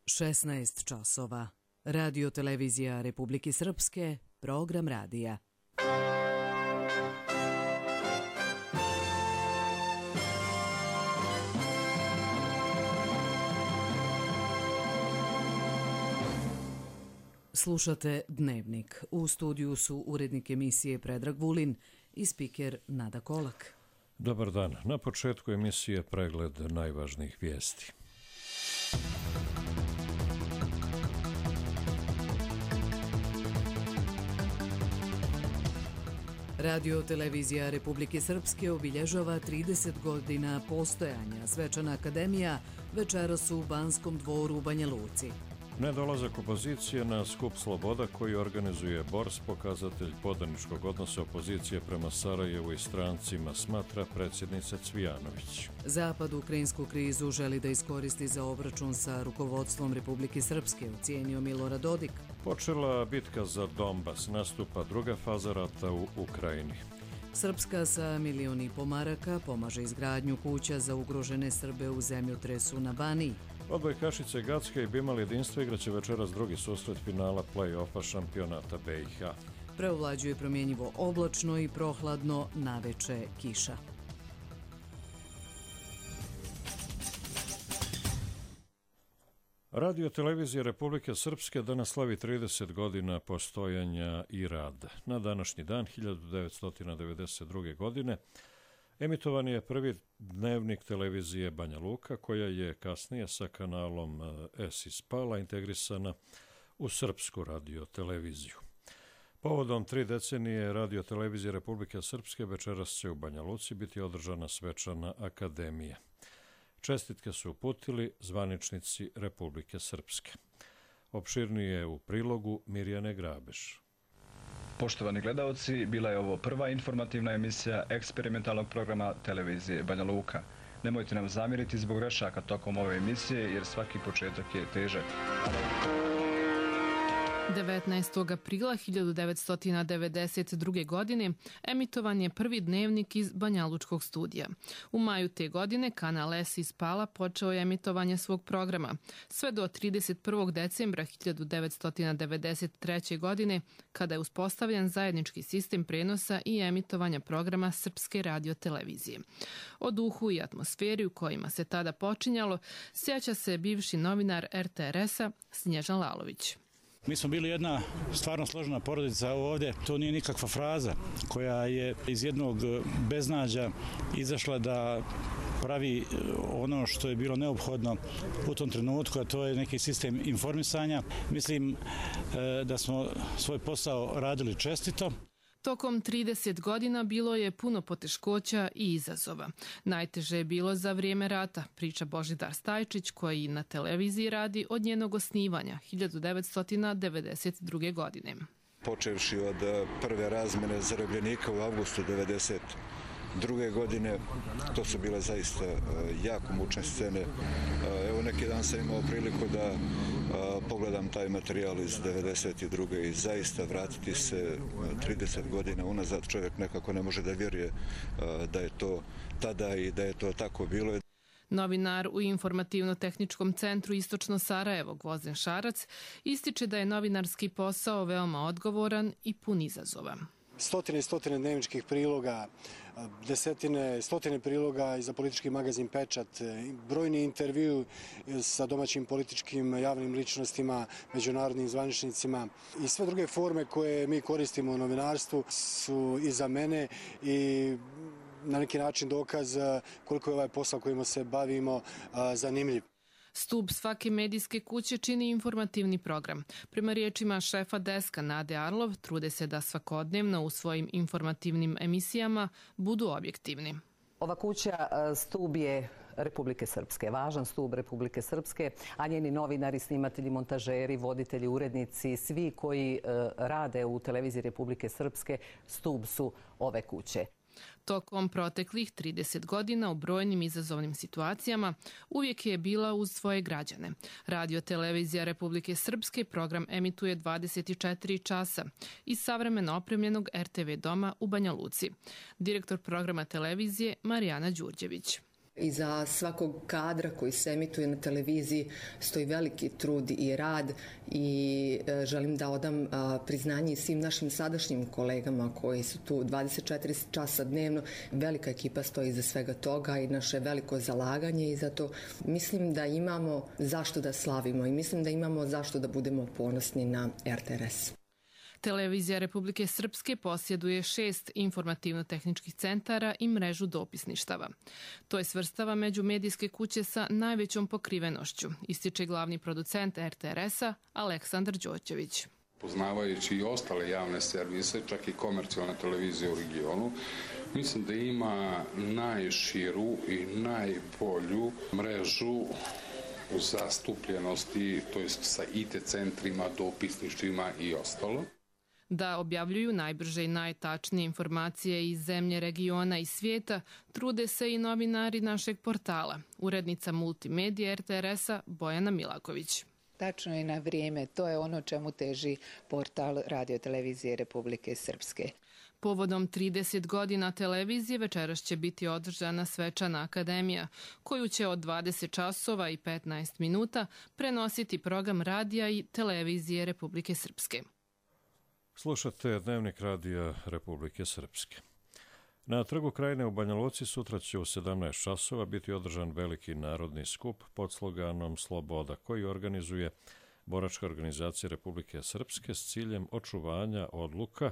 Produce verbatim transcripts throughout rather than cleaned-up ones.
šesnaest časova. Radio televizija Republike Srpske, program radija. Slušate Dnevnik. U studiju su urednik emisije Predrag Vulin i spiker Nada Kolak. Dobar dan. Na početku emisije pregled najvažnijih vijesti. Radio televizija Republike Srpske obilježava trideset godina postojanja. Svečana akademija večeras u Banskom dvoru u Banja Luci. Nedolazak opozicije na skup Sloboda koji organizuje Bors, pokazatelj podaničkog odnosa opozicije prema Sarajevu i strancima, smatra predsjednica Cvijanović. Zapad ukrajinsku krizu želi da iskoristi za obračun sa rukovodstvom Republike Srpske, ocijenio Milorad Dodik. Počela bitka za Donbas, nastupa druga faza rata u Ukrajini. Srpska sa milion i po maraka pomaže izgradnju kuća za ugrožene Srbe u zemljotresu na Baniji. Odbojkašice Gacka i Bimal jedinstvo igraće večeras drugi susret finala play-offa šampionata B i H. Preovlađuje promjenjivo oblačno i prohladno, naveče kiša. Radio televizija Republike Srpske danas slavi trideset godina postojanja i rada. Na današnji dan hiljadu devetsto devedeset druge. godine emitovan je prvi dnevnik televizije Banja Luka, koja je kasnije sa kanalom S ispala integrisana u Srpsku radio televiziju. Povodom tri decenije radio televizije Republike Srpske večeras će u Banja Luci biti održana svečana akademija. Čestitke su uputili zvaničnici Republike Srpske. Opširnije u prilogu Mirjane Grabeš. Poštovani gledaoci, bila je ovo prva informativna emisija eksperimentalnog programa televizije Banja Luka. Nemojte nam zamjeriti zbog grešaka tokom ove emisije, jer svaki početak je težak. devetnaestog aprila hiljadu devetsto devedeset druge. godine emitovan je prvi dnevnik iz Banjalučkog studija. U maju te godine kanal S ispala počeo je emitovanje svog programa. Sve do trideset prvog decembra hiljadu devetsto devedeset treće. godine, kada je uspostavljen zajednički sistem prenosa i emitovanja programa Srpske radio televizije. O duhu i atmosferi u kojima se tada počinjalo sjeća se bivši novinar R T R S-a Snježan Lalović. Mi smo bili jedna stvarno složena porodica ovdje. To nije nikakva fraza koja je iz jednog beznađa izašla da pravi ono što je bilo neophodno u tom trenutku, a to je neki sistem informisanja. Mislim da smo svoj posao radili čestito. Tokom trideset godina bilo je puno poteškoća i izazova. Najteže je bilo za vrijeme rata, priča Božidar Stajčić, koji na televiziji radi od njenog osnivanja hiljadu devetsto devedeset druge. godine. Počevši od prve razmjene zarobljenika u avgustu devedeset druge. godine, to su bile zaista jako mučne scene. Evo neki dan sam imao priliku da pogledam taj materijal iz devedeset druge. i zaista vratiti se trideset godina unazad, čovjek nekako ne može da vjeruje da je to tada i da je to tako bilo. Novinar u informativno-tehničkom centru Istočno Sarajevo, Gvozden Šarac, ističe da je novinarski posao veoma odgovoran i pun izazova. Stotine i stotine dnevničkih priloga, desetine, stotine priloga i za politički magazin Pečat, brojni intervju sa domaćim političkim javnim ličnostima, međunarodnim zvaničnicima i sve druge forme koje mi koristimo u novinarstvu su iza mene i na neki način dokaz koliko je ovaj posao kojim se bavimo zanimljiv. Stub svake medijske kuće čini informativni program. Prema riječima šefa deska Nade Arlov, trude se da svakodnevno u svojim informativnim emisijama budu objektivni. Ova kuća stub je Republike Srpske, važan stub Republike Srpske, a njeni novinari, snimatelji, montažeri, voditelji, urednici, svi koji rade u televiziji Republike Srpske stub su ove kuće. Tokom proteklih trideset godina u brojnim izazovnim situacijama uvijek je bila uz svoje građane. Radio televizija Republike Srpske program emituje dvadeset četiri časa iz savremeno opremljenog R T V doma u Banja Luci. Direktor programa televizije Marijana Đurđević. Iza svakog kadra koji se emituje na televiziji stoji veliki trud i rad i želim da odam priznanje svim našim sadašnjim kolegama koji su tu dvadeset četiri časa dnevno. Velika ekipa stoji iza svega toga i naše veliko zalaganje i zato mislim da imamo zašto da slavimo i mislim da imamo zašto da budemo ponosni na R T R S. Televizija Republike Srpske posjeduje šest informativno-tehničkih centara i mrežu dopisništava. To je svrstava među medijske kuće sa najvećom pokrivenošću, ističe glavni producent R T R S-a Aleksandar Đoćević. Poznavajući i ostale javne servise, čak i komercijalne televizije u regionu, mislim da ima najširu i najbolju mrežu u zastupljenosti, to jest sa I T centrima, dopisništvima i ostalo. Da objavljuju najbrže i najtačnije informacije iz zemlje, regiona i svijeta, trude se i novinari našeg portala, urednica multimedije R T R S-a Bojana Milaković. Tačno i na vrijeme, to je ono čemu teži portal Radio-televizije Republike Srpske. Povodom trideset godina televizije večeras će biti održana svečana akademija, koju će od dvadeset časova i petnaest minuta prenositi program radija i televizije Republike Srpske. Slušate Dnevnik radija Republike Srpske. Na Trgu Krajine u Banja Luci sutra će u sedamnaest časova biti održan veliki narodni skup pod sloganom Sloboda, koji organizuje Boračka organizacija Republike Srpske s ciljem očuvanja odluka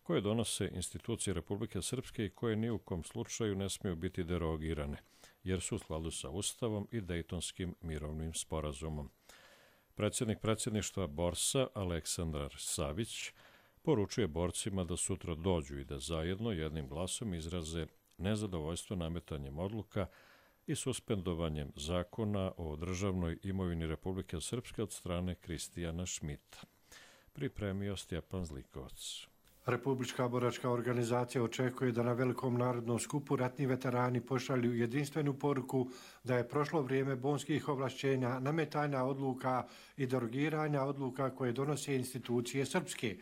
koje donose institucije Republike Srpske i koje ni u kom slučaju ne smiju biti derogirane, jer su u skladu sa Ustavom i Dejtonskim mirovnim sporazumom. Predsjednik predsjedništva Borsa Aleksandar Savić poručuje borcima da sutra dođu i da zajedno jednim glasom izraze nezadovoljstvo nametanjem odluka i suspendovanjem zakona o državnoj imovini Republike Srpske od strane Kristijana Šmita. Pripremio Stjepan Zlikovac. Republička boračka organizacija očekuje da na velikom narodnom skupu ratni veterani pošalju jedinstvenu poruku da je prošlo vrijeme bonskih ovlašćenja, nametanja odluka i derogiranja odluka koje donose institucije srpske.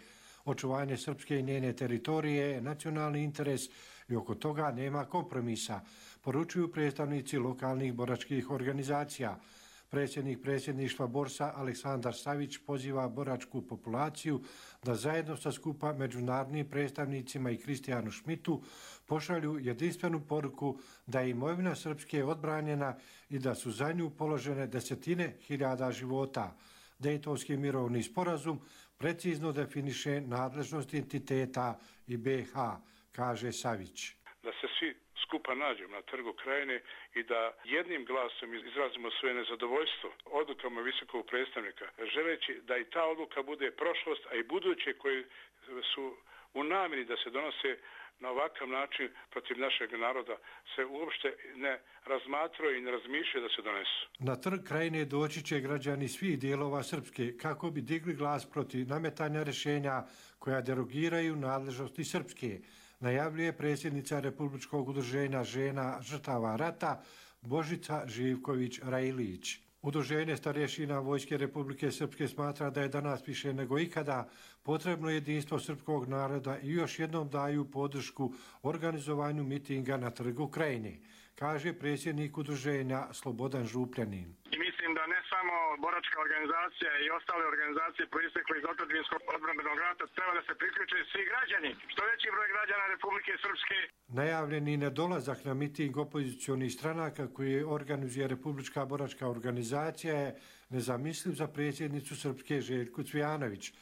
Očuvanje srpske i njene teritorije je nacionalni interes i oko toga nema kompromisa, poručuju predstavnici lokalnih boračkih organizacija. Predsjednik predsjedništva Borsa Aleksandar Savić poziva boračku populaciju da zajedno sa skupa međunarodnim predstavnicima i Kristijanu Šmitu pošalju jedinstvenu poruku da je imovina Srpske odbranjena i da su za nju položene desetine hiljada života. Dejtonski mirovni sporazum precizno definiše nadležnost entiteta i B H, kaže Savić. Da se svi skupa nađemo na Trgu Krajine i da jednim glasom izrazimo svoje nezadovoljstvo odlukama visokog predstavnika, želeći da i ta odluka bude prošlost, a i buduće koje su u namjeri da se donose na ovakav način protiv našeg naroda se uopšte ne razmatraju i ne razmišljaju da se donesu. Na Trg Krajine doći će građani svih dijelova Srpske kako bi digli glas protiv nametanja rješenja koja derogiraju nadležnosti Srpske, najavljuje predsjednica Republičkog udruženja žena žrtava rata Božica Živković-Rajilić. Udruženje starješina Vojske Republike Srpske smatra da je danas više nego ikada potrebno jedinstvo srpskog naroda i još jednom daju podršku organizovanju mitinga na Trgu Krajine, kaže predsjednik udruženja Slobodan Župljanin. Mislim da ne samo boračka organizacija i ostale organizacije proistekle iz otadžbinskog odbrambenog rata treba da se priključe svi građani, što veći broj građana Republike Srpske. Najavljeni nedolazak na miting opozicionih stranaka koje organizuje Republička boračka organizacija je nezamisliv za predsjednicu Srpske Željku Cvijanović.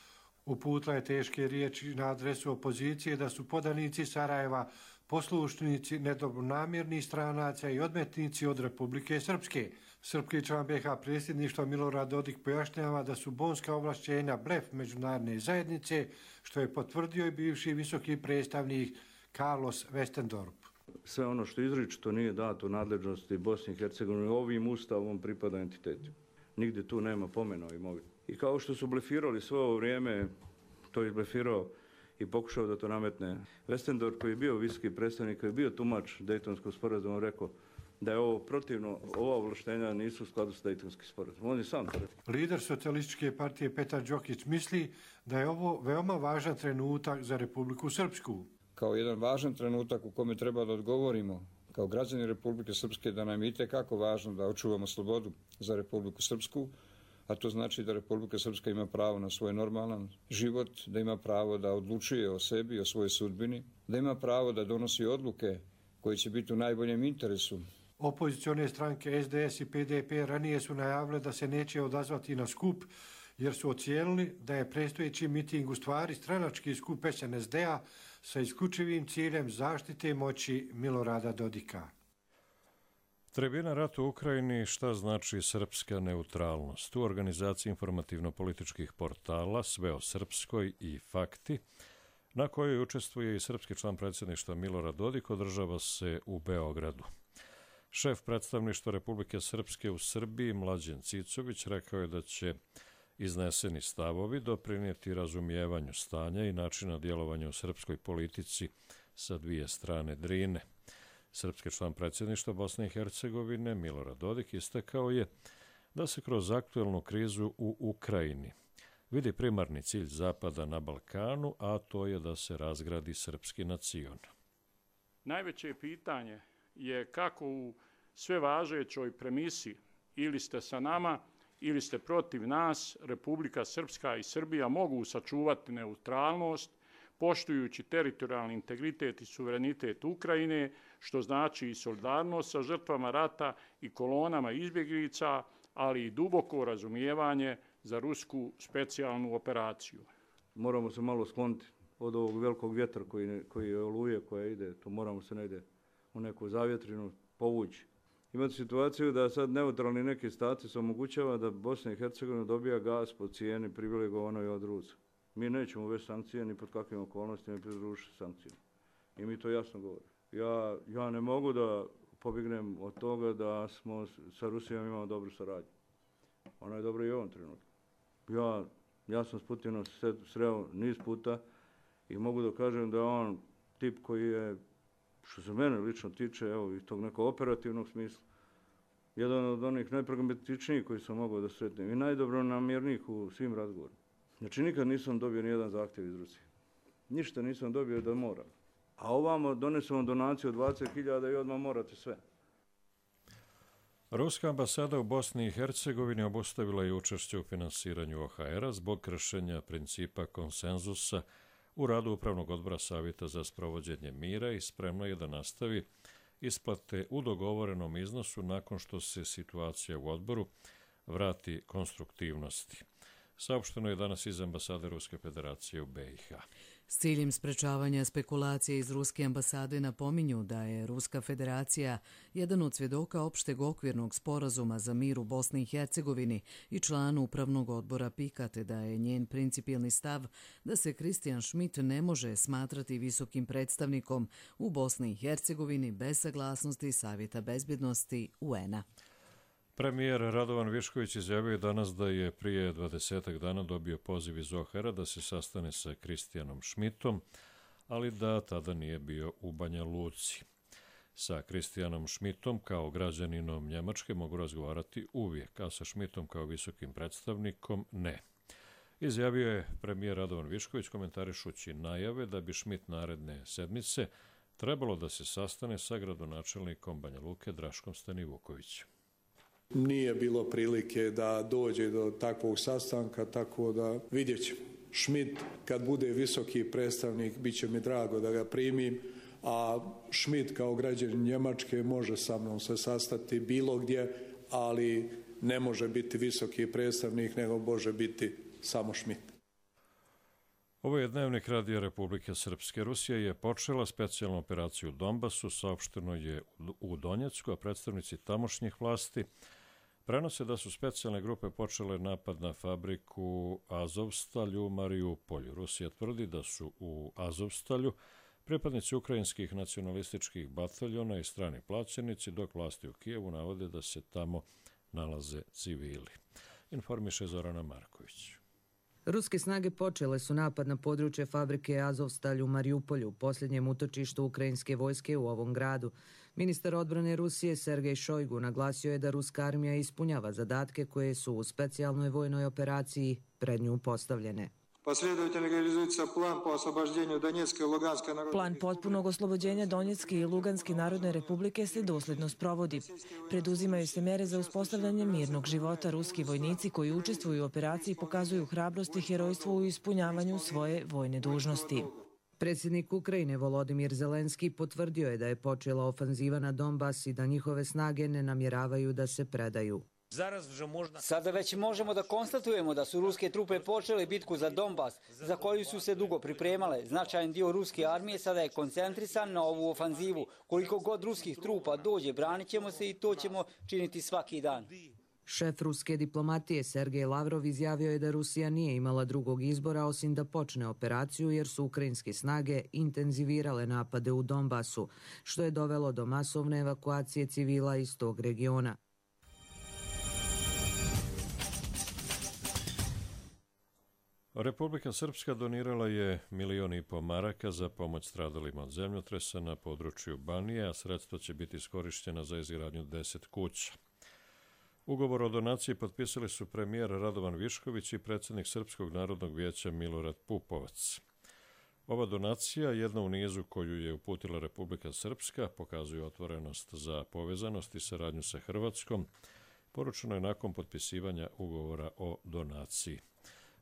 Uputila je teške riječi na adresu opozicije da su podanici Sarajeva poslušnici nedobronamjernih stranaca i odmetnici od Republike Srpske. Srpski član B H predsjedništva Milorad Dodik pojašnjava da su bonska ovlašćenja blef međunarodne zajednice, što je potvrdio i bivši visoki predstavnik Carlos Westendorp. Sve ono što izričito nije dato nadležnosti Bosne i Hercegovine ovim ustavom pripada entitetu. Nigdje tu nema pomena o imovini. I kao što su blefirali sve ovo vrijeme, to je blefirao i pokušao da to nametne Westendorp, koji je bio visoki predstavnik, koji je bio tumač Dejtonskog sporazuma, rekao da je ovo protivno, ova ovlaštenja nisu u skladu s Dejtonskim sporazumom. On je sam to rekao. Lider socijalističke partije Petar Đokić misli da je ovo veoma važan trenutak za Republiku Srpsku. Kao jedan važan trenutak u kome treba da odgovorimo kao građani Republike Srpske da nam je itekako važno da očuvamo slobodu za Republiku Srpsku, a to znači da Republika Srpska ima pravo na svoj normalan život, da ima pravo da odlučuje o sebi, o svojoj sudbini, da ima pravo da donosi odluke koje će biti u najboljem interesu. Opozicione stranke S D S i P D P ranije su najavile da se neće odazvati na skup, jer su ocijenili da je predstojeći miting u stvari stranački skup S N S D-a sa isključivim ciljem zaštite moći Milorada Dodika. Tribina rata u Ukrajini, šta znači srpska neutralnost? U organizaciji informativno-političkih portala Sve o Srpskoj i Fakti, na kojoj učestvuje i srpski član predsjedništva Milorad Dodik, održava se u Beogradu. Šef predstavništva Republike Srpske u Srbiji, Mlađen Cicović, rekao je da će izneseni stavovi doprinijeti razumijevanju stanja i načina djelovanja u srpskoj politici sa dvije strane Drine. Srpski član predsjedništva Bosne i Hercegovine, Milorad Dodik, istakao je da se kroz aktuelnu krizu u Ukrajini vidi primarni cilj Zapada na Balkanu, a to je da se razgradi srpski nacion. Najveće pitanje je kako u sve važećoj premisi ili ste sa nama ili ste protiv nas, Republika Srpska i Srbija mogu sačuvati neutralnost, poštujući teritorijalni integritet i suverenitet Ukrajine, što znači i solidarnost sa žrtvama rata i kolonama izbjeglica, ali i duboko razumijevanje za rusku specijalnu operaciju. Moramo se malo skloniti od ovog velikog vjetra koji, koji je oluje, koja ide, to moramo se negdje u neku zavjetrinu povući. Imate situaciju da sad neutralni neki status omogućava da Bosna i Hercegovina dobija gas po cijeni privilegovanoj od Rusa. Mi nećemo uvesti sankcije ni pod kakvim okolnostima pridružiti sankcijama. I mi to jasno govorimo. Ja, ja ne mogu da pobjegnem od toga da smo sa Rusijom imamo dobru saradnju. Ona je dobra i u ovom trenutku. Ja, ja sam s Putinom sreo niz puta i mogu da kažem da je on tip koji je, što se mene lično tiče, evo, iz tog nekog operativnog smisla, jedan od onih najpragmatičnijih koji sam mogao da sretnem i najdobronamjernijih u svim razgovorima. Znači, nikad nisam dobio nijedan zahtjev iz Rusije. Ništa nisam dobio da moram. A ovamo donesemo donaciju od dvadeset hiljada i odmah morate sve. Ruska ambasada u Bosni i Hercegovini obustavila je učešće u finansiranju O H R-a zbog kršenja principa konsenzusa u radu Upravnog odbora Savjeta za sprovođenje mira i spremno je da nastavi isplate u dogovorenom iznosu nakon što se situacija u odboru vrati konstruktivnosti. Saopšteno je danas iz ambasade Ruske federacije u B i H. S ciljem sprečavanja spekulacije iz Ruske ambasade napominju da je Ruska federacija jedan od svjedoka opšteg okvirnog sporazuma za mir u Bosni i Hercegovini i član upravnog odbora PIK-a, te da je njen principijelni stav da se Kristijan Schmidt ne može smatrati visokim predstavnikom u Bosni i Hercegovini bez saglasnosti Savjeta bezbjednosti U N-a. Premijer Radovan Višković izjavio je danas da je prije dvadesetak dana dobio poziv iz O H R-a da se sastane sa Kristijanom Schmidtom, ali da tada nije bio u Banja Luci. Sa Kristijanom Schmidtom kao građaninom Njemačke mogu razgovarati uvijek, a sa Schmidtom kao visokim predstavnikom ne. Izjavio je premijer Radovan Višković komentarišući najave da bi Schmidt naredne sedmice trebalo da se sastane sa gradonačelnikom Banja Luke Draškom Stanivukovićem. Nije bilo prilike da dođe do takvog sastanka, tako da vidjet ćemo. Schmidt, kad bude visoki predstavnik, bit će mi drago da ga primim, a Schmidt kao građanin Njemačke može sa mnom se sastati bilo gdje, ali ne može biti visoki predstavnik, nego može biti samo Schmidt. Ovo je dnevnik Radija Republike Srpske. Rusija je počela specijalnu operaciju u Donbasu, saopšteno je u Donjecku, a predstavnici tamošnjih vlasti prenose da su specijalne grupe počele napad na fabriku Azovstalju u Mariupolju. Rusija tvrdi da su u Azovstalju pripadnici ukrajinskih nacionalističkih bataljona i strani plaćenici, dok vlasti u Kijevu navode da se tamo nalaze civili. Informiše Zorana Marković. Ruske snage počele su napad na područje fabrike Azovstalj u Mariupolju, posljednjem utočištu ukrajinske vojske u ovom gradu. Ministar odbrane Rusije Sergej Šojgu naglasio je da ruska armija ispunjava zadatke koje su u specijalnoj vojnoj operaciji pred nju postavljene. Последовательно реализуется план по освобождению Донецкой и Луганской народной Plan potpunog oslobođenja Donjecke i Luganske narodne republike se dosledno sprovodi. Preduzimaju se mere za uspostavljanje mirnog života. Ruski vojnici koji učestvuju u operaciji pokazuju hrabrost i herojstvo u ispunjavanju svoje vojne dužnosti. Predsjednik Ukrajine Volodimir Zelenski potvrdio je da je počela ofanziva na Donbas i da njihove snage ne namjeravaju da se predaju. Sada već možemo da konstatujemo da su ruske trupe počele bitku za Donbas, za koju su se dugo pripremale. Značajan dio ruske armije sada je koncentrisan na ovu ofanzivu. Koliko god ruskih trupa dođe, branit ćemo se i to ćemo činiti svaki dan. Šef ruske diplomatije Sergej Lavrov izjavio je da Rusija nije imala drugog izbora osim da počne operaciju jer su ukrajinske snage intenzivirale napade u Donbasu, što je dovelo do masovne evakuacije civila iz tog regiona. Republika Srpska donirala je milion i po maraka za pomoć stradalima od zemljotresa na području Banije, a sredstva će biti iskorišćena za izgradnju deset kuća. Ugovor o donaciji potpisali su premijer Radovan Višković i predsjednik Srpskog narodnog vijeća Milorad Pupovac. Ova donacija, jedna u nizu koju je uputila Republika Srpska, pokazuje otvorenost za povezanost i saradnju sa Hrvatskom, poručeno je nakon potpisivanja ugovora o donaciji.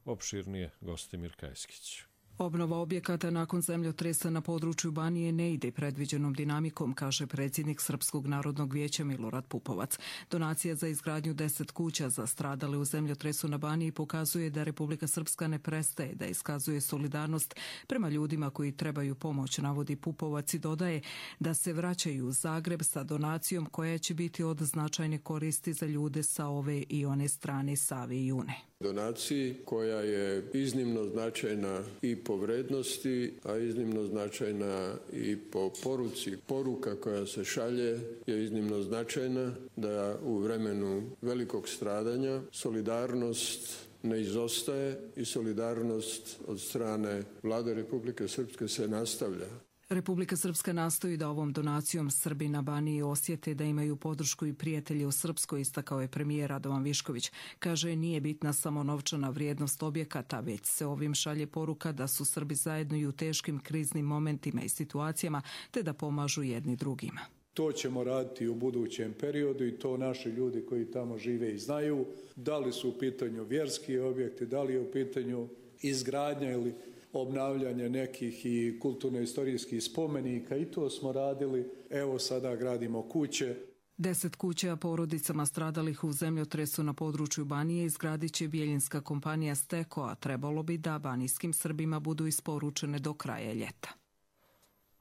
Opširnije Gostimir Kajskić. Obnova objekata nakon zemljotresa na području Banije ne ide predviđenom dinamikom, kaže predsjednik Srpskog narodnog vijeća Milorad Pupovac. Donacija za izgradnju deset kuća za stradale u zemljotresu na Baniji pokazuje da Republika Srpska ne prestaje da iskazuje solidarnost prema ljudima koji trebaju pomoć, navodi Pupovac i dodaje da se vraćaju u Zagreb sa donacijom koja će biti od značajne koristi za ljude sa ove i one strane Save i Une. Donaciji koja je iznimno značajna i po vrednosti, a iznimno značajna i po poruci. Poruka koja se šalje je iznimno značajna da u vremenu velikog stradanja solidarnost ne izostaje i solidarnost od strane Vlade Republike Srpske se nastavlja. Republika Srpska nastoji da ovom donacijom Srbi na Baniji osjete da imaju podršku i prijatelje u Srpskoj, istakao je premijer Radovan Višković. Kaže, nije bitna samo novčana vrijednost objekata, već se ovim šalje poruka da su Srbi zajedno i u teškim kriznim momentima i situacijama, te da pomažu jedni drugima. To ćemo raditi u budućem periodu i to naši ljudi koji tamo žive i znaju. Da li su u pitanju vjerski objekti, da li je u pitanju izgradnja ili obnavljanje nekih i kulturno-istorijskih spomenika, i to smo radili. Evo sada gradimo kuće. Deset kuća porodicama stradalih u zemljotresu na području Banije izgradit će bijeljinska kompanija Steko, a trebalo bi da banijskim Srbima budu isporučene do kraja ljeta.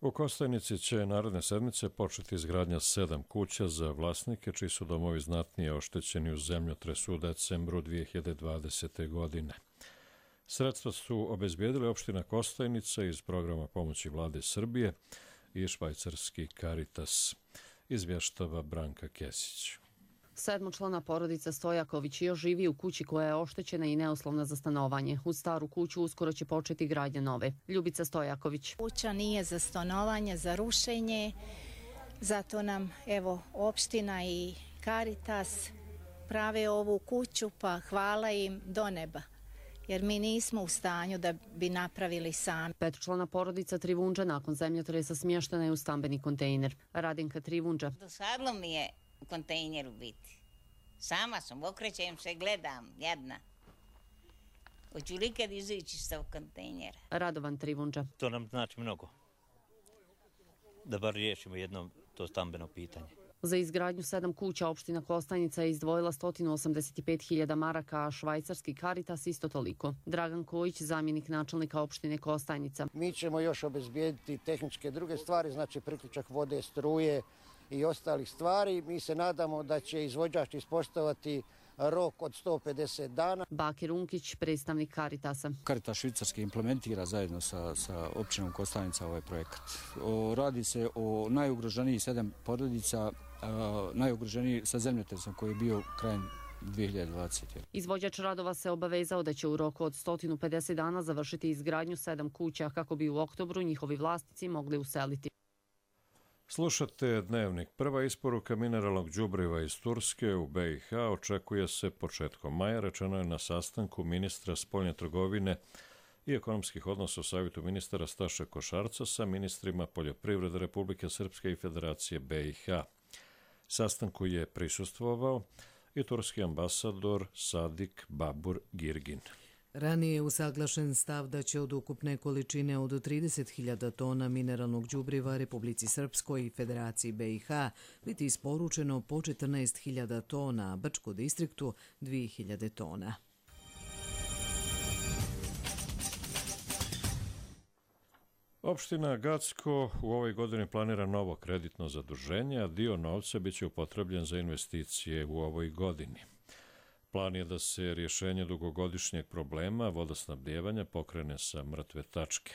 U Kostajnici će naredne sedmice početi izgradnja sedam kuća za vlasnike čiji su domovi znatnije oštećeni u zemljotresu u decembru dvije hiljade dvadesete. godine. Sredstva su obezbijedile opština Kostajnica iz programa pomoći Vlade Srbije i švajcarski Caritas, izvještava Branka Kesić. Sedmočlana porodica Stojaković još živi u kući koja je oštećena i neuslovna za stanovanje. U staru kuću uskoro će početi gradnja nove. Ljubica Stojaković. Kuća nije za stanovanje, za rušenje, zato nam evo opština i Caritas prave ovu kuću, pa hvala im do neba, jer mi nismo u stanju da bi napravili sami. Petočlana porodica Trivunđa nakon zemljotresa smještena je u stambeni kontejner. Radinka Trivunđa. Dosadlo mi je u kontejneru biti. Sama sam, okrećem se, gledam, jedna. Hoću li kad izaći sa kontejnera? Radovan Trivunđa. To nam znači mnogo. Da bar riješimo jedno to stambeno pitanje. Za izgradnju sedam kuća opština Kostajnica je izdvojila sto osamdeset pet hiljada maraka, a švajcarski Caritas isto toliko. Dragan Kojić, zamjenik načelnika opštine Kostajnica. Mi ćemo još obezbijediti tehničke druge stvari, znači priključak vode, struje i ostalih stvari. Mi se nadamo da će izvođač ispoštovati rok od sto pedeset dana. Bakir Unkić, predstavnik Caritasa. Caritas švicarski implementira zajedno sa, sa općinom Kostajnica ovaj projekat. O, radi se o najugroženijih sedam porodica, a, najugroženiji sa zemljotresom koji je bio krajem dvije hiljade dvadesete. Izvođač radova se obavezao da će u roku od sto pedeset dana završiti izgradnju sedam kuća kako bi u oktobru njihovi vlasnici mogli useliti. Slušate Dnevnik. Prva isporuka mineralnog đubriva iz Turske u B i H očekuje se početkom maja, rečeno je na sastanku ministra spoljne trgovine i ekonomskih odnosa u Savjetu ministara Staše Košarca sa ministrima poljoprivrede Republike Srpske i Federacije B i H. Sastanku je prisustvovao i turski ambasador Sadik Babur Girgin. Ranije je usaglašen stav da će od ukupne količine od trideset hiljada tona mineralnog đubriva Republici Srpskoj i Federaciji B i H biti isporučeno po četrnaest hiljada tona, a Brčko distriktu dvije hiljade tona. Opština Gacko u ovoj godini planira novo kreditno zaduženje, a dio novca biće upotrebljen za investicije u ovoj godini. Plan je da se rješenje dugogodišnjeg problema vodosnabdijevanja pokrene sa mrtve tačke.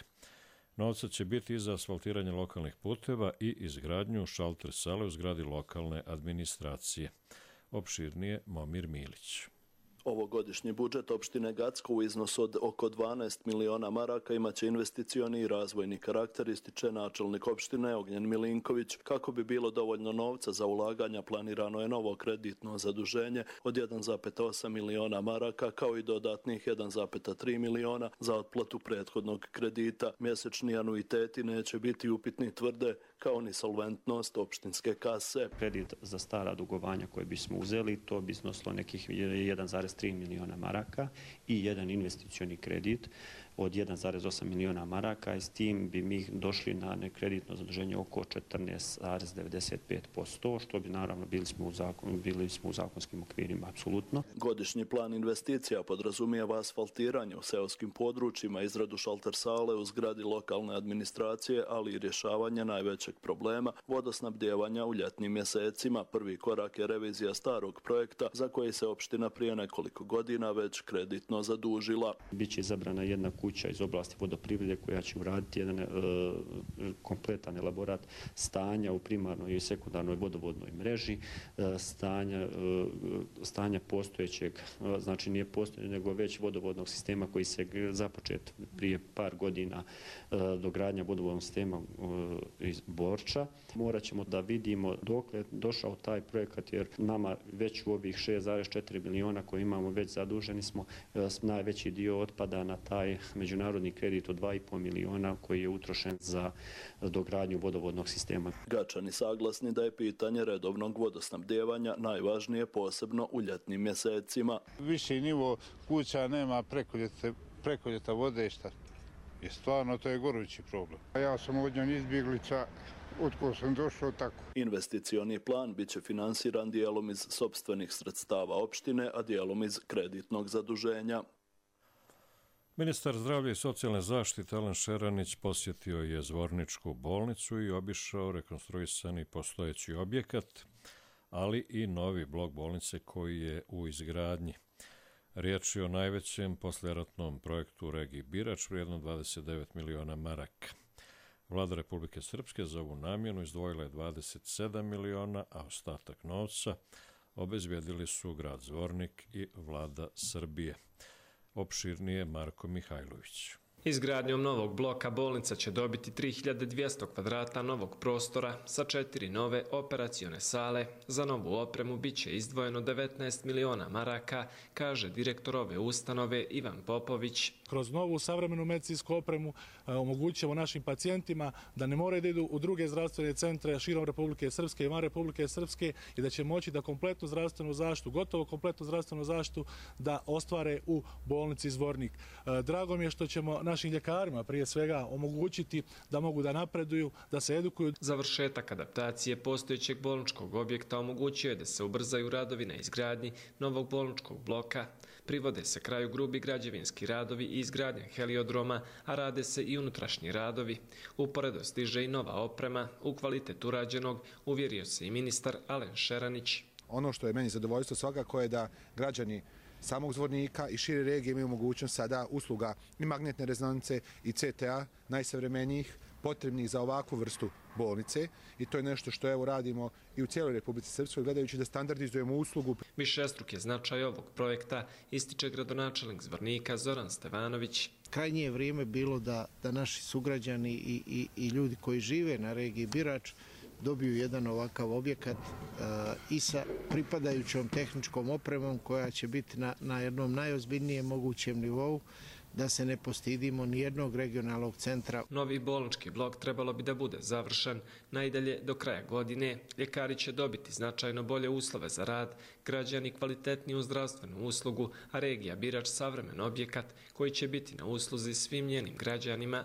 Novca će biti i za asfaltiranje lokalnih puteva i izgradnju šalter sale u zgradi lokalne administracije. Opširnije Momir Milić. Ovogodišnji budžet opštine Gacko u iznosu od oko dvanaest miliona maraka imaće investicioni i razvojni karakter, ističe načelnik opštine Ognjen Milinković. Kako bi bilo dovoljno novca za ulaganja, planirano je novo kreditno zaduženje od jedan zarez osam miliona maraka, kao i dodatnih jedan zarez tri miliona za otplatu prethodnog kredita. Mjesečni anuiteti neće biti upitni, tvrde, kao ni solventnost opštinske kase. Kredit za stara dugovanja koje bismo uzeli, to bi iznosilo nekih jedan zarez tri miliona maraka i jedan investicioni kredit od jedan zarez osam miliona maraka i s tim bi mi došli na nekreditno zaduženje oko četrnaest zarez devedeset pet posto, što bi naravno bili smo u, zakon, bili smo u zakonskim okvirima, apsolutno. Godišnji plan investicija podrazumijeva asfaltiranje u seoskim područjima, izradu šalter sale u zgradi lokalne administracije, ali i rješavanje najvećeg problema vodosnabdijevanja u ljetnim mjesecima. Prvi korak je revizija starog projekta za koji se opština prije nekoliko godina već kreditno zadužila. Biće izabrana jedna kuća iz oblasti vodoprivrede koja će uraditi jedan e, kompletan elaborat stanja u primarnoj i sekundarnoj vodovodnoj mreži, e, stanja, e, stanja postojećeg, e, znači nije postojećeg, nego već vodovodnog sistema koji se započet prije par godina e, dogradnja vodovodnog sistema e, iz Borča. Morat ćemo da vidimo dok je došao taj projekat, jer nama već u ovih šest zarez četiri miliona koje imamo već zaduženi smo, e, najveći dio otpada na taj međunarodni kredit od dva i po miliona koji je utrošen za dogradnju vodovodnog sistema. Gačani saglasni da je pitanje redovnog vodosnabdijevanja najvažnije, posebno u ljetnim mjesecima. Viši nivo kuća nema preko ljeta, preko ljeta vode, šta? I stvarno to je gorući problem. Ja sam od njom izbjeglica, otko sam došao tako. Investicioni plan biće finansiran dijelom iz sopstvenih sredstava opštine, a dijelom iz kreditnog zaduženja. Ministar zdravlja i socijalne zaštite Alen Šeranić posjetio je Zvorničku bolnicu i obišao rekonstruisani postojeći objekat, ali i novi blok bolnice koji je u izgradnji. Riječ je o najvećem poslijeratnom projektu u regiji Birač, vrijedno dvadeset devet miliona maraka. Vlada Republike Srpske za ovu namjenu izdvojila je dvadeset sedam miliona, a ostatak novca obezbijedili su grad Zvornik i vlada Srbije. Opširnije Marko Mihajlović. Izgradnjom novog bloka bolnica će dobiti tri hiljade dvjesto kvadrata novog prostora sa četiri nove operacione sale. Za novu opremu bit će izdvojeno devetnaest miliona maraka, kaže direktor ove ustanove Ivan Popović. Kroz novu savremenu medicinsku opremu omogućujemo našim pacijentima da ne moraju da idu u druge zdravstvene centre širom Republike Srpske i van Republike Srpske i da će moći da kompletnu zdravstvenu zaštitu, gotovo kompletnu zdravstvenu zaštitu da ostvare u bolnici Zvornik. Drago mi je što ćemo našim ljekarima prije svega omogućiti da mogu da napreduju, da se edukuju. Završetak adaptacije postojećeg bolničkog objekta omogućio je da se ubrzaju radovi na izgradnji novog bolničkog bloka. Privode se kraju grubi građevinski radovi i izgradnja heliodroma, a rade se i unutrašnji radovi. Uporedo stiže i nova oprema, u kvalitet urađenog uvjerio se i ministar Alen Šeranić. Ono što je meni zadovoljstvo svakako je da građani samog Zvornika i šire regije imaju mogućnost sada usluga i magnetne rezonance i C T A najsavremenijih, potrebnih za ovakvu vrstu bolnice i to je nešto što evo radimo i u cijeloj Republici Srpskoj gledajući da standardizujemo uslugu. Višestruk je značaj ovog projekta, ističe gradonačelnik Zvornika Zoran Stevanović. Krajnje je vrijeme bilo da, da naši sugrađani i, i, i ljudi koji žive na regiji Birač dobiju jedan ovakav objekat uh, i sa pripadajućom tehničkom opremom koja će biti na, na jednom najozbiljnijem mogućem nivou. da se ne postidimo ni jednog regionalnog centra. Novi bolnički blok trebalo bi da bude završen najdalje do kraja godine. Ljekari će dobiti značajno bolje uslove za rad, građani kvalitetniju zdravstvenu uslugu, a regija Birač savremen objekat koji će biti na usluzi svim njenim građanima.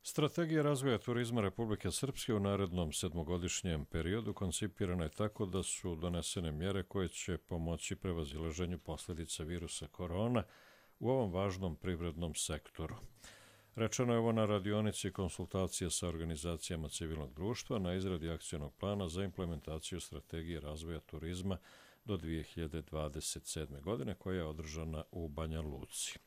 Strategija razvoja turizma Republike Srpske u narednom sedmogodišnjem periodu koncipirana je tako da su donesene mjere koje će pomoći prevazilaženju posljedica virusa korona u ovom važnom privrednom sektoru. Rečeno je ovo na radionici konsultacije sa organizacijama civilnog društva na izradi akcionog plana za implementaciju strategije razvoja turizma do dvije hiljade dvadeset sedme. godine koja je održana u Banja Luci.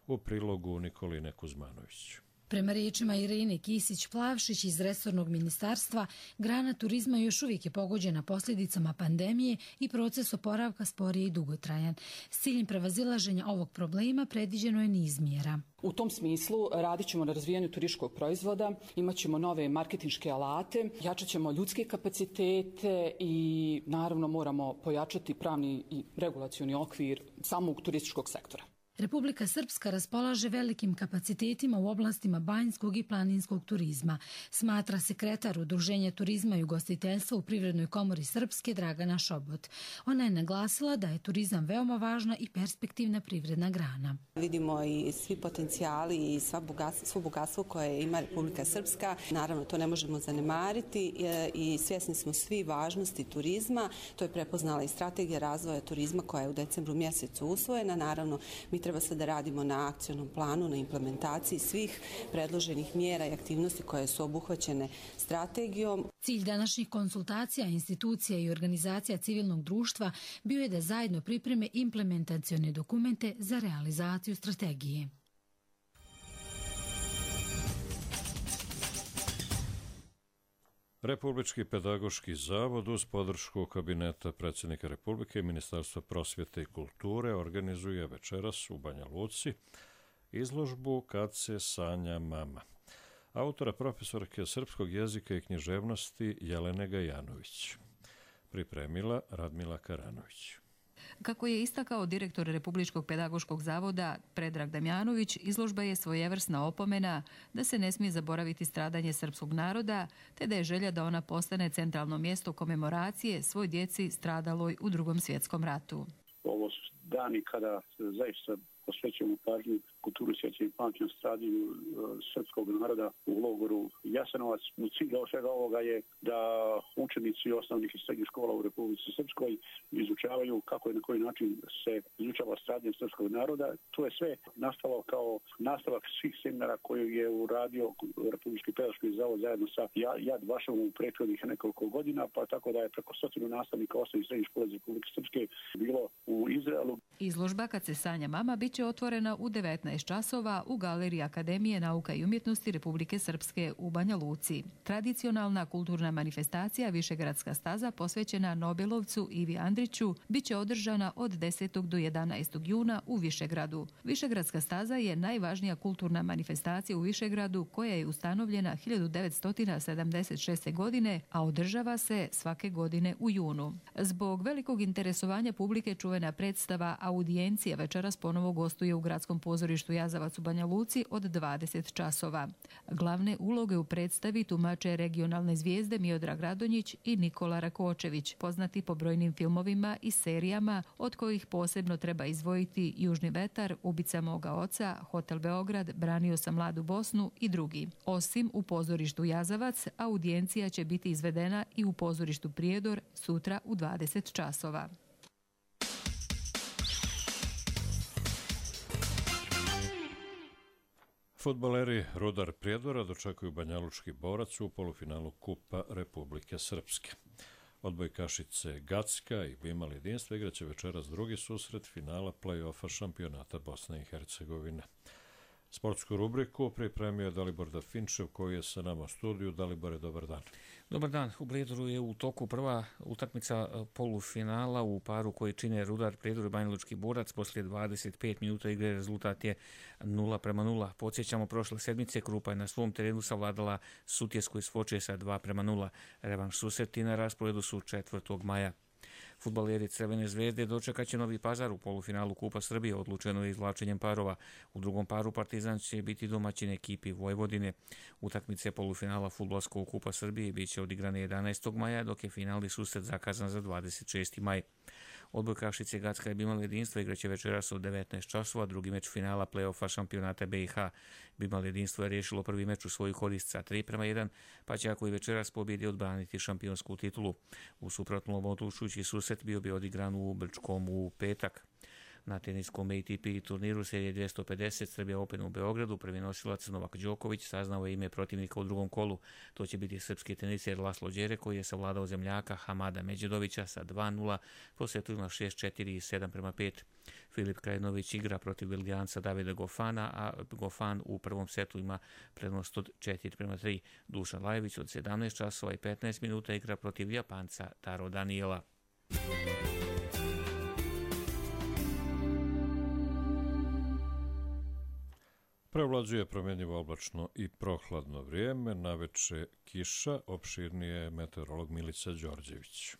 U prilogu Nikoline Kuzmanović. Prema riječima Irene Kisić-Plavšić iz resornog ministarstva, grana turizma još uvijek je pogođena posljedicama pandemije i proces oporavka sporije i dugotrajan. S ciljem prevazilaženja ovog problema predviđeno je niz mjera. U tom smislu radit ćemo na razvijanju turističkog proizvoda, imat ćemo nove marketinške alate, jačat ćemo ljudske kapacitete i naravno moramo pojačati pravni i regulacioni okvir samog turističkog sektora. Republika Srpska raspolaže velikim kapacitetima u oblastima banjskog i planinskog turizma, smatra sekretar Udruženja turizma i ugostiteljstva u Privrednoj komori Srpske Dragana Šobot. Ona je naglasila da je turizam veoma važna i perspektivna privredna grana. Vidimo i svi potencijali i sva bogatstvo, svo bogatstvo koje ima Republika Srpska. Naravno, to ne možemo zanemariti i svjesni smo svi važnosti turizma. To je prepoznala i strategija razvoja turizma koja je u decembru mjesecu usvojena. Naravno, mi treba se da radimo na akcionom planu, na implementaciji svih predloženih mjera i aktivnosti koje su obuhvaćene strategijom. Cilj današnjih konsultacija institucija i organizacija civilnog društva bio je da zajedno pripreme implementacione dokumente za realizaciju strategije. Republički pedagoški zavod uz podršku kabineta predsjednika Republike i Ministarstva prosvjete i kulture organizuje večeras u Banja Luci izložbu Kad se sanja mama. Autora profesorke srpskog jezika i književnosti Jelene Gajanović. Pripremila Radmila Karanović. Kako je istakao direktor Republičkog pedagoškog zavoda Predrag Damjanović, izložba je svojevrsna opomena da se ne smije zaboraviti stradanje srpskog naroda, te da je želja da ona postane centralno mjesto komemoracije svoj djeci stradaloj u Drugom svjetskom ratu. Ovo su dani kada zaista posvećujemo pažnju kulturu sjećanja i pamćenja stradanju srpskog naroda u logoru Jasenovac. Cilj svega ovoga je da učenici osnovnih i srednjih škola u Republici Srpskoj izučavaju kako i na koji način se izučava stradanje srpskog naroda. To je sve nastalo kao nastavak svih seminara koju je uradio Republički pedagoški zavod zajedno sa Jad Vašom u prethodnih nekoliko godina, pa tako da je preko stotinu nastavnika osnovnih i srednjih škola iz Republike Srpske bilo u Izraelu. Izložba Kad se sanja mama bit će otvorena u devetnaest časova u Galeriji Akademije nauka i umjetnosti Republike Srpske u Banja Luci. Tradicionalna kulturna manifestacija Višegradska staza posvećena Nobelovcu Ivi Andriću bit će održana od desetog do jedanaestog juna u Višegradu. Višegradska staza je najvažnija kulturna manifestacija u Višegradu koja je ustanovljena hiljadu devetsto sedamdeset šeste. godine, a održava se svake godine u junu. Zbog velikog interesovanja publike čuvena predstava Audijencija večeras ponovo gostuje u Gradskom pozorištu Jazavac u Banja Luci od dvadeset časova. Glavne uloge u predstavi tumače regionalne zvijezde Miodrag Radonjić i Nikola Rakočević, poznati po brojnim filmovima i serijama, od kojih posebno treba izdvojiti Južni vetar, Ubica moga oca, Hotel Beograd, Branio sam mladu Bosnu i drugi. Osim u pozorištu Jazavac, audijencija će biti izvedena i u pozorištu Prijedor sutra u dvadeset časova. Fudbaleri Rudar Prijedora dočekuju banjalučki borac u polufinalu Kupa Republike Srpske. Odbojkašice Gacka i Bimal jedinstva igraće večeras drugi susret finala play-offa šampionata Bosne i Hercegovine. Sportsku rubriku pripremio je Dalibor Dafinčev koji je sa nama u studiju. Dalibore, dobar dan. Dobar dan. U Prijedoru je u toku prva utakmica polufinala u paru koji čine Rudar Prijedor i Banjalučki borac. Poslije dvadeset pet minuta igre rezultat je nula prema nula. Podsjećamo, prošle sedmice Krupa je na svom terenu savladala Sutjesku iz Foče sa dva prema nula. Revanš susreti na rasporedu su četvrtog maja. Fudbaleri Crvene zvezde dočekat će Novi Pazar u polufinalu Kupa Srbije, odlučeno je izvlačenjem parova. U drugom paru Partizan će biti domaćin ekipi Vojvodine. Utakmice polufinala fudbalskog Kupa Srbije bit će odigrane jedanaestog maja, dok je finalni susret zakazan za dvadeset šesti maj. Odbojkašice Gacka i Bimal Jedinstvo igraće večeras od devetnaest časova, drugi meč finala play-offa šampionata B i H. Bimal Jedinstvo je riješilo prvi meč u svoju korist sa tri prema jedan, pa će ako i večeras pobjedi odbraniti šampionsku titulu. U suprotnom odlučujući susret bio bi odigran u Brčkom u petak. Na teniskom A T P turniru serije dvjesto pedeset Srbija Open u Beogradu prvi nosilac Novak Đoković saznao je ime protivnika u drugom kolu. To će biti srpski teniser Laslo Đere koji je savladao zemljaka Hamada Međedovića sa dva nula po setovima šest četiri i sedam prema pet. Filip Krajinović igra protiv Belgijanca Davida Gofana, a Gofan u prvom setu ima prednost od četiri prema tri. Dušan Lajević od sedamnaest časova i petnaest minuta igra protiv Japanca Taro Daniela. Preovlađuje promjenjivo oblačno i prohladno vrijeme, naveče kiša, opširnije meteorolog Milica Đorđević.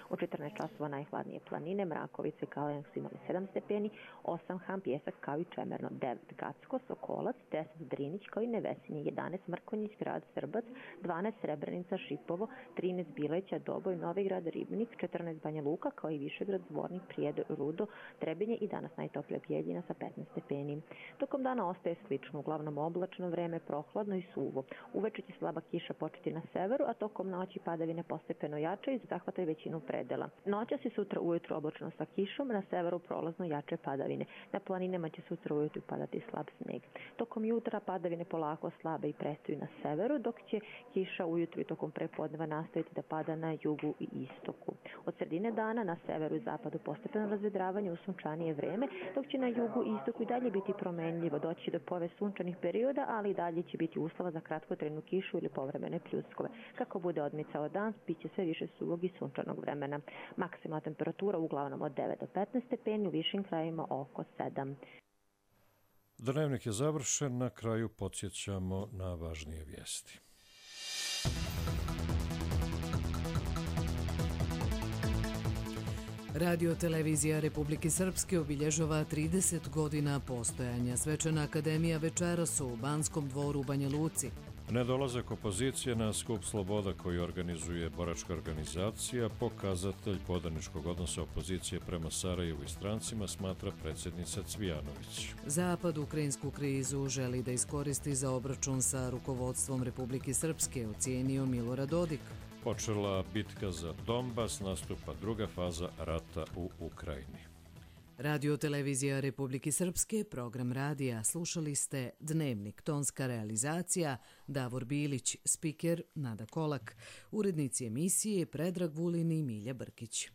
U četrnaest časova najhladnije planine, Mrakovice i Kalenić su imali sedam stepeni, osam Han, Pjesak kao i Čemerno, devet Gacko, Sokolac, deset Drinić kao i Nevesinje, jedanaest Mrkonjić, Grad Srbac, dvanaest Srebrenica, Šipovo, trinaest Bileća, Doboj, Novigrad, Ribnik, četrnaest Banja Luka kao i Višegrad, Zvornik, Prijedor, Rudo, Trebinje i danas najtoplija Bijeljina sa petnaest stepeni. Tokom dana ostaje slično, uglavnom oblačno vreme, prohladno i suvo. Uveče će slaba kiša početi na severu, a tokom noći padavine postepeno jačaju i zahvataju većinu predela. Noćas i sutra ujutro oblačno sa kišom, na severu prolazno jače padavine. Na planinama će sutra ujutro padati slab sneg. Tokom jutra padavine polako slabe i prestaju na severu, dok će kiša ujutro i tokom prepodneva nastaviti da pada na jugu i istoku. Od sredine dana na severu i zapadu postepeno razvedravanje u sunčanije vreme, dok će na jugu i istoku i dalje biti promenljivo. Doći do pove sunčanih perioda, ali i dalje će biti uslova za kratkotrajnu kišu ili povremene pljuskove. Kako bude odmicao dan, bit će sve više suvog i sunčanog vremena. Maksimalna temperatura uglavnom od devet do petnaest stepeni, u višim krajevima oko sedam. Dnevnik je završen, na kraju podsjećamo na važnije vijesti. Radio televizija Republike Srpske obilježava trideset godina postojanja. Svečana akademija večeras u Banskom dvoru u Banja Luci. Nedolazak opozicije na skup Sloboda koji organizuje boračka organizacija, pokazatelj podaničkog odnosa opozicije prema Sarajevu i strancima, smatra predsjednica Cvijanović. Zapad ukrajinsku krizu želi da iskoristi za obračun sa rukovodstvom Republike Srpske, ocijenio Milorad Dodik. Počela bitka za Donbas, nastupa druga faza rata u Ukrajini. Radio televizija Republike Srpske, program radija, slušali ste Dnevnik, tonska realizacija, Davor Bilić, spiker Nada Kolak, urednici emisije Predrag Vulin i Milja Brkić.